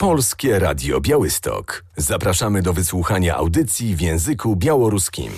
Polskie Radio Białystok. Zapraszamy do wysłuchania audycji w języku białoruskim.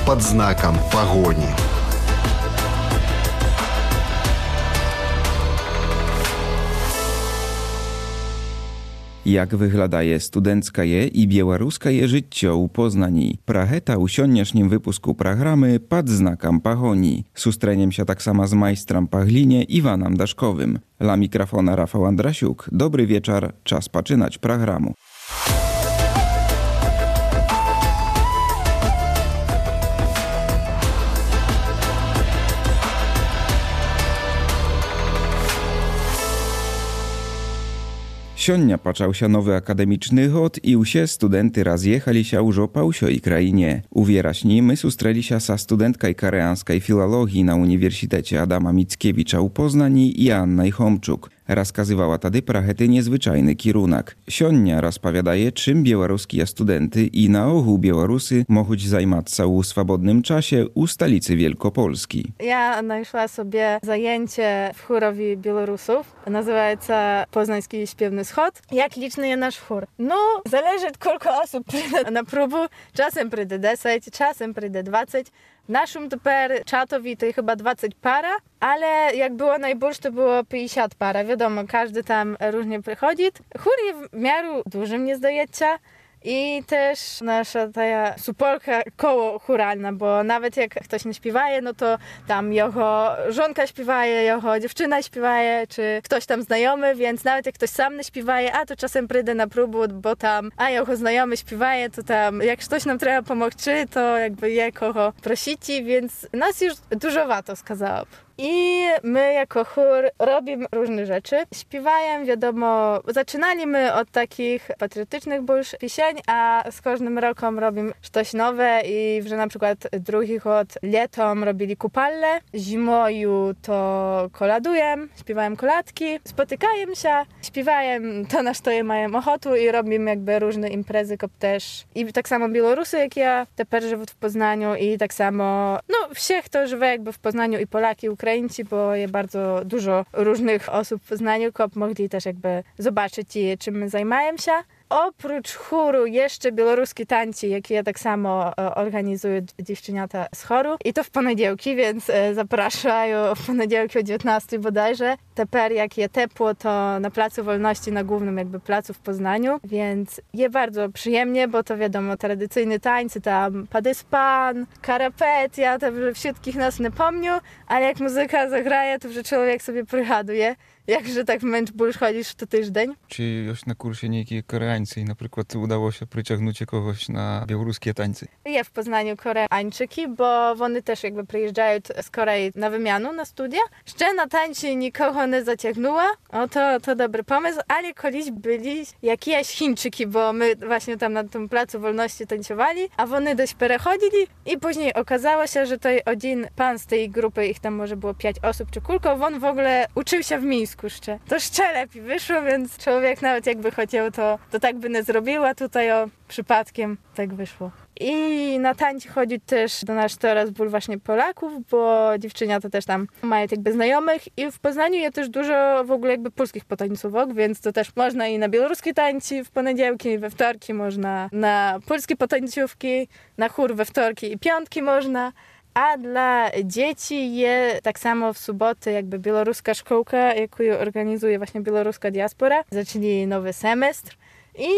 Pod znakiem pogoni. Jak wyglądaje studenckie i białoruskie życie u Poznani. Pracheta u sioniasznim wypusku programy Pod znakiem pogoni. Sustreniem się tak samo z majstrem Pachlinie Iwanem Daszkowym. La mikrofona Rafał Andrasiuk. Dobry wieczór, czas poczynać programu. Sionia począł się nowy akademiczny rok i usie studenty rozjechali się już po usioj krainie. Uwieraśni my sustreli się sa studentkaj koreańskiej filologii na Uniwersytecie Adama Mickiewicza u Poznani i Annaj Homczuk. Rozkazywała tady prachety niezwyczajny kierunek. Sionia rozpowiadaje, czym białoruskie studenty i na ogół Białorusy mogą zajmować się u swobodnym czasie u stolicy Wielkopolski. Ja znalazła sobie zajęcie w chórowi Białorusów. Nazywa się Poznański Śpiewny Schod. Jak liczny jest nasz chór? No, zależy kilka osób przyjdzie na próbę. Czasem przyjdzie 10, czasem przyjdzie 20. W naszym teper czatowi to chyba 20 para, ale jak było najbольше, to było 50 para. Wiadomo, każdy tam różnie przychodzi. Chór jest w miarę dużym, nie zdaje się. I też nasza ta supporka koło chóralna, bo nawet jak ktoś nie śpiewaje, no to tam jego żonka śpiewaje, jego dziewczyna śpiewaje, czy ktoś tam znajomy, więc nawet jak ktoś sam nie śpiewaje, a to czasem przyjdę na próbę, bo tam, a jego znajomy śpiewaje, to tam jak ktoś nam trzeba pomóc, to jakby je kogo prosici, więc nas już dużo warto skazała. I my jako chór robimy różne rzeczy. Śpiewajem, wiadomo, zaczynaliśmy od takich patriotycznych больше piesień, a z każdym rokiem robimy coś nowe i że na przykład drugi rok latem robili kupalle, zimoju to koladujem, śpiewajem koladki, spotykajem się, śpiewajem to na co mają ochotę i robimy jakby różne imprezy, też i tak samo Białorusy, jak ja, teper żywą w Poznaniu i tak samo, no wszech, kto żywe jakby w Poznaniu i Polaki, Ukraińcy, bo jest bardzo dużo różnych osób w Poznaniu, mogli też jakby zobaczyć, czym my zajmujemy się. Oprócz chóru jeszcze białoruskie tańce, jakie ja tak samo organizuję dziewczynata z choru. I to w poniedziałki, więc zapraszają w poniedziałki o 19 bodajże. Teper jak je ciepło, to na Placu Wolności, na głównym jakby placu w Poznaniu. Więc je bardzo przyjemnie, bo to wiadomo, tradycyjne tańce, tam padyspan, karapet, ja to wszystkich nas nie pomniu, ale jak muzyka zagraje, to że człowiek sobie przygaduje. Jakże tak męcz ból chodzisz to tydzień? Czy już na kursie niejakie Koreańcy i na przykład udało się przyciągnąć kogoś na białoruskie tańce? Ja w Poznaniu Koreańczyki, bo one też jakby przyjeżdżają z Korei na wymianę, na studia. Jeszcze na tańce nikogo nie zaciągnęła, to dobry pomysł, ale kiedyś byli jakieś Chińczyki, bo my właśnie tam na tym Placu Wolności tańcowali, a one dość przechodzili i później okazało się, że to jeden pan z tej grupy, ich tam może było 5 osób czy kulko, on w ogóle uczył się w Mińsku. To jeszcze lepiej wyszło, więc człowiek nawet jakby chciał, to tak by nie zrobiła, tutaj przypadkiem tak wyszło. I na tańce chodzi też do nas teraz ból właśnie Polaków, bo dziewczynia to też tam mają jakby znajomych i w Poznaniu jest też dużo w ogóle jakby polskich potańcówek, więc to też można i na białoruskie tańce w poniedziałki, we wtorki można na polskie potańcówki, na chór we wtorki i piątki można. A dla dzieci jest tak samo w sobotę jakby białoruska szkołka, jaką organizuje właśnie białoruska diaspora. Zaczęli nowy semestr i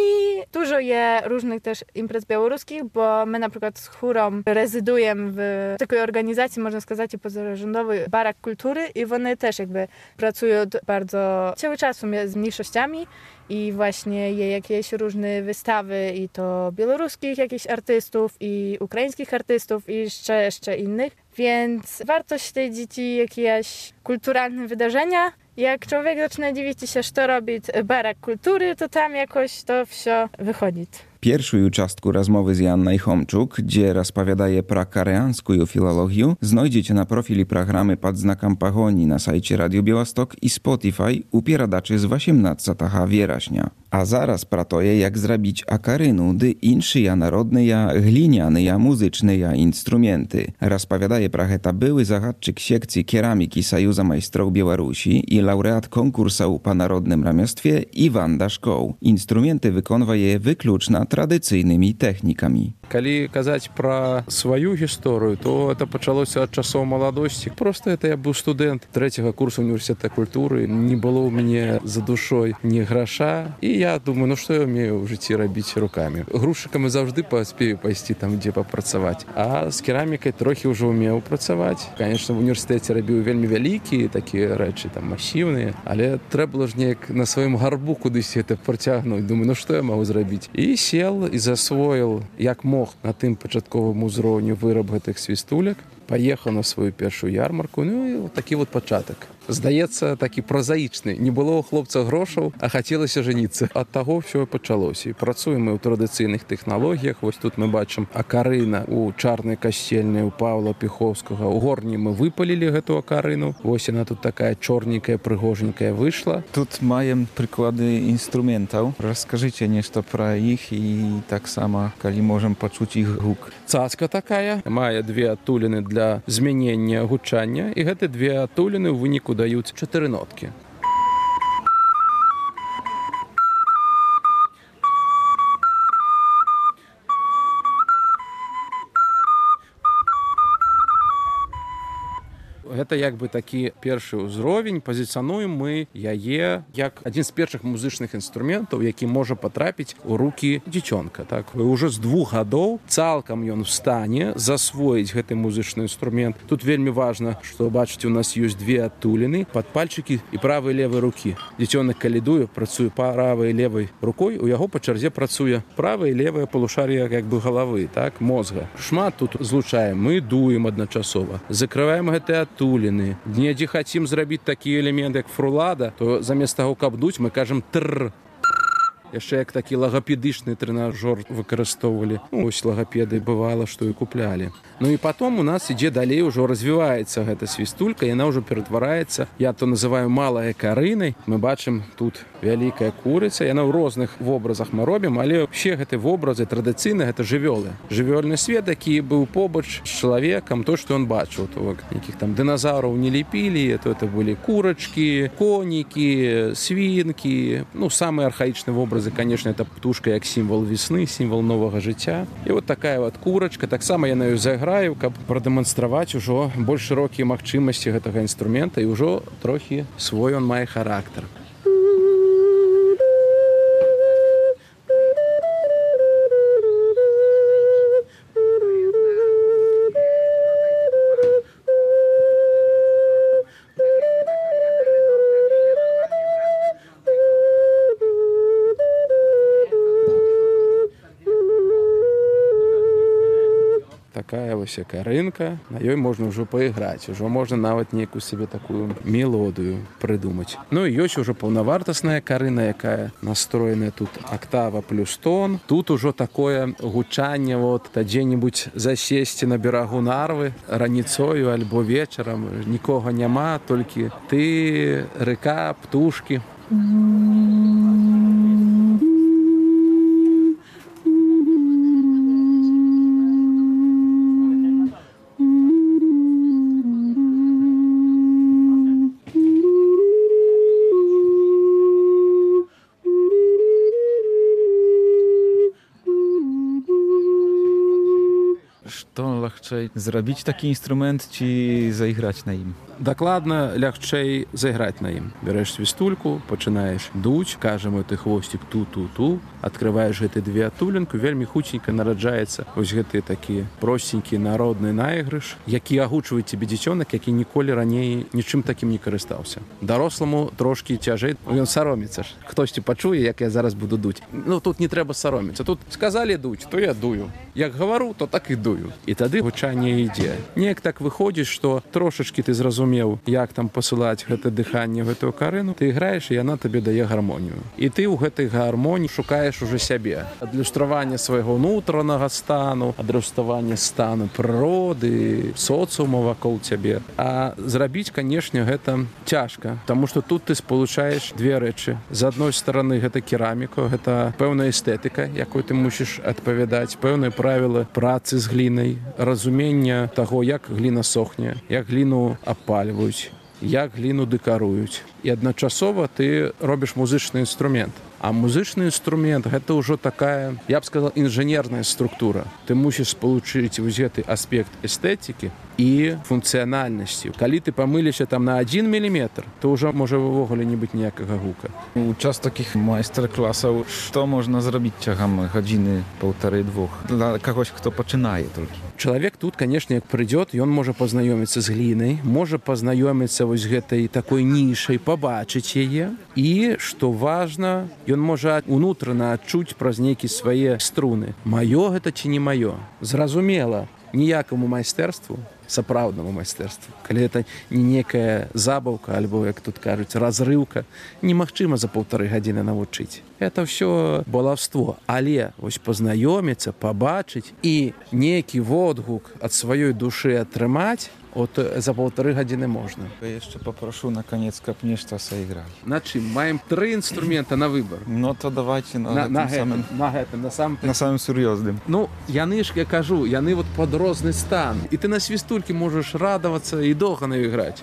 dużo jest różnych też imprez białoruskich, bo my na przykład z chórą rezydujemy w takiej organizacji, można сказать, pozarządowej Barak Kultury i one też jakby pracują bardzo cały czas z mniejszościami i właśnie je jakieś różne wystawy i to białoruskich jakichś artystów i ukraińskich artystów i jeszcze innych, więc warto śledzić jakieś kulturalne wydarzenia. Jak człowiek zaczyna dziwić się, co robi Barak Kultury, to tam jakoś to wszystko wychodzi. Першую частку размовы з Яннай Хомчук, дзе распавядае пра карэанскую філалогію, знойдзеце на профілі праграмы пад знакам пагоні на сайце Радіо Białystok і Spotify у перадачы з 18 верасня. А зараз пра тое, як зрабіць акарыну ды іншыя народныя гліняныя музычныя інструменты. Распавядае пра гэта былы загадчык секцыі керамікі Саюза майстроў Беларусі і лаўрэат конкурсаў па народным рамёстве Іван Дашкоў. Інструменты выконвае выключна традыцыйнымі тэхнікамі. Калі казаць пра сваю гісторыю, то это пачалося ад часоў маладосці. Просто это я быў студэнт 3-го курсу універсітэта культуры, не было ў мяне за душой ні граша, і я думаю, што я ўмею ў жыцці рабіць рукамі. Грузчыкам заўжды паспею пайсці там, дзе папрацаваць. А з керамікай трохі ўжо ўмеў працаваць. Канечне, в універсітэце рабіў вельмі вялікія такія рэчы, там масіўныя, але трэба было ж неяк на сваім гарбу кудысь это працягнуць. Думаю, што я магу зрабіць? І сел і засвоіл, як мог на тым пачатковым узроўню выраб гэтых свістулек, паехаў на сваю першую ярмарку, ну і такі вот пачатак. Здаецца, такі празаічны. Не было ў хлопца грошаў, а хацелася жаніцца. Ад таго ўсё пачалося. І працуем мы ў традыцыйных тэхналогіях. Вось тут мы бачым акарына ў чарнай касцельнай у Паўла Піхоўскага. У горні мы выпалілі гэту акарыну. Вось яна тут такая чорненькая, прыгоженькая выйшла. Тут маем прыклады інструментаў. Раскажыце нешта пра іх і таксама, калі можам пачуць іх гук. Цацка такая. Мае две адтуліны для змянення гучання. І гэты две адтуліны ў выніку даюць 4 ноткі. Гэта як бы такі першы ўзровень. Пазіцыянуем мы яе як адзін з першых музычных інструментаў, які можа патрапіць у рукі дзіцёнка. Так? Уже з 2 гадоў цалкам ён стане засвоіць гэты музычны інструмент. Тут вельмі важна, што бачыце, у нас ёсць две адтуліны, падпальчыкі і правай і левай рукі. Дзіцёнак калідуе, працуе правай і левай рукой, у яго па чарзе працуе правая і левая палушар'я як бы галавы, так, мозга. Шмат тут злучаем, мы дуем адначасова, закрываем гэтыя адтуліны. Недзе хацім зрабіць такі элемент, як фрулада, то замест таго, каб дуць, мы кажам «тррр». Яшчэ як такі лагапедычны трэнажор выкарыстоўвалі. Ну, ось лагапеды бывала, што і куплялі. Ну і потом у нас ідзе далей, ўжо развіваецца гэта свістулька, яна ўжо ператвараецца, я то называю малай акарынай. Мы бачым тут вялікая курыца, яна ў розных вобразах мы робім, але ўсе гэты вобразы традыцыйна гэта жывёлы. Жывёльны свет, які быў побач з чалавекам, то, што ён бачыў. То нейкіх там дыназаўраў не лепілі, то это былі курачкі, конікі, свінкі. Ну, самыя архаічныя вобразы, конечно, это птушка як сімвал весны, сімвал новага жыцця. І вот такая вот курачка, таксама я на ёй зайграю, каб прадэманстраваць ужо больш шырокія магчымасці гэтага інструмента, і ўжо трохі свой он мае характар. Такая вось акарынка, на ёй можна ўжо паіграць, ужо можна нават нейкую сабе такую мелодыю прыдумаць. Ну і ёсць ужо паўнавартасная акарына, якая настроеная тут актава плюс тон. Тут ужо такое гучанне, вот, дзе-небудзь засесці на берагу Нарвы раніцою альбо вечарам, нікога няма, толькі ты, рэка, птушкі. Што лягчэй, зрабіць такі інструмент ці зайграць на ім? Дакладна лягчэй зайграць на ім. Бярэш свістульку, пачынаеш дуць, кажам гэты хвосцік ту-ту-ту, адкрываеш гэты две адтулінку, вельмі хуценька нараджаецца вось гэты такі просценькі народны найгрыш, які агучвае цябе дзіцёнак, які ніколі раней нічым такім не карыстаўся. Даросламу трошкі цяжэй, ён сароміцца ж. Хтосьці пачуе, як я зараз буду дуць. Ну, тут не трэба сароміцца. Тут сказалі дуць, то я дую. Як гавару, то так і дую. І тады гучанне ідзе. Неяк так выходзіць, што трошачкі ты зразумееш, зразумеў, як там пасылаць гэта дыханне, гэтую карыну, ты іграеш, і яна табе дае гармонію. І ты ў гэтай гармоніі шукаеш уже сябе. Адлюстраванне свайго ўнутранага стану, адлюстраванне стану прыроды, соцыума вакол цябе. А зрабіць, канешне, гэта цяжка, таму што тут ты спалучаеш две рэчы. З адной стороны, гэта кераміка, гэта пэўная эстэтыка, якой ты мусіш адпавядаць, пэўныя правілы працы з глінай, разумення таго, як гліна сохне, як гліну абпальваюць, як гліну дэкаруюць. І адначасова ты робіш музычны інструмент. А музычны інструмент гэта ўжо такая, я б сказал, інжынерная структура. Ты мусіш спалучыць вось гэты аспект эстэтыкі і функцыянальнасці. Калі ты памыліся там на 1 міліметр, то ўжо можа ўвогуле не быць ніякага гука. У час такіх майстар-класаў што можна зрабіць цягам гадзіны, паўтары-двух? Для кагось, хто пачынае толькі. Чалавек тут, канешне, як прыйдёт, ён можа пазнаёміцца з глінай, можа пазнаёміцца вось гэтай такой нішай, пабачыць яе. І, што важна, ён можа унутрана адчуць праз нейкі свае струны. Маё гэта ці не маё? Зразумела, ніякаму майстэрству, сапраўднаму майстэрству, калі гэта не некая забаўка, альбо, як тут кажуць, разрыўка, немагчыма за 1,5 гадзіны навучыць. Это ўсё балаўство. Але вось пазнаёміцца, пабачыць і нейкі водгук ад сваёй душы атрымаць, от за 1,5 гадзіны можна. Я яшчэ папрошу на канец, каб нешта сыгралі. На чым? Маем 3 інструмента на выбар. Ну, то давайте на самым сур'ёзным. Ну, яны ж, я кажу, яны вот под розны стан. І ты на свістулькі можаш радавацца і доўга на ёй граць.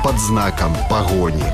Под знаком погони.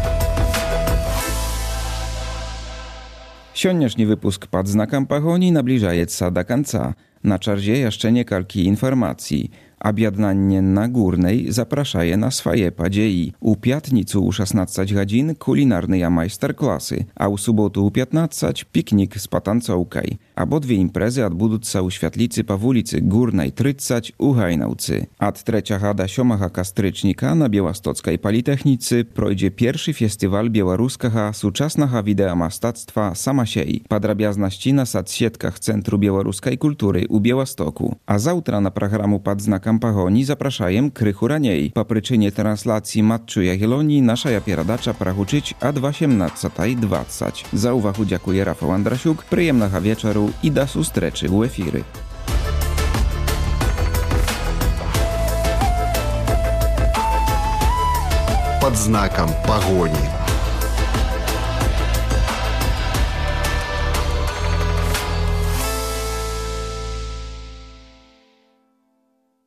Сённяшні выпуск «Пад знакам пагоні» набліжаецца да канца. На чарзе яшчэ некалькі інфармацый. Аб'яднанне Нагурнай запрашае на свае падзеі. У пятніцу ў 16 гадзін кулінарныя майстар-класы, а ў суботу ў 15 пікнік з патанцоўкай. Абодве імпрэзы адбудуцца ў святліцы па вуліцы Гурнай 30 у Гайнаўцы. Ад 3 да 7 кастрычніка на Беластоцкай палітэхніцы пройдзе першы фестываль беларускага сучаснага відэамастацтва «Самасей». Падрабязнасці на садсетках Цэнтру беларускай культуры у Беластоку. А заўтра на праграму «Пад знакам пагоні» запрашаем крыху раней. Па прычыне транслацыі матчу Ягелонii нашая перадача прагучыць ад 18:20. За ўвагу дзякуе Рафał Андрасюк, прыемнага вечару і да сустрэчы ў эфіры. Под знаком погони.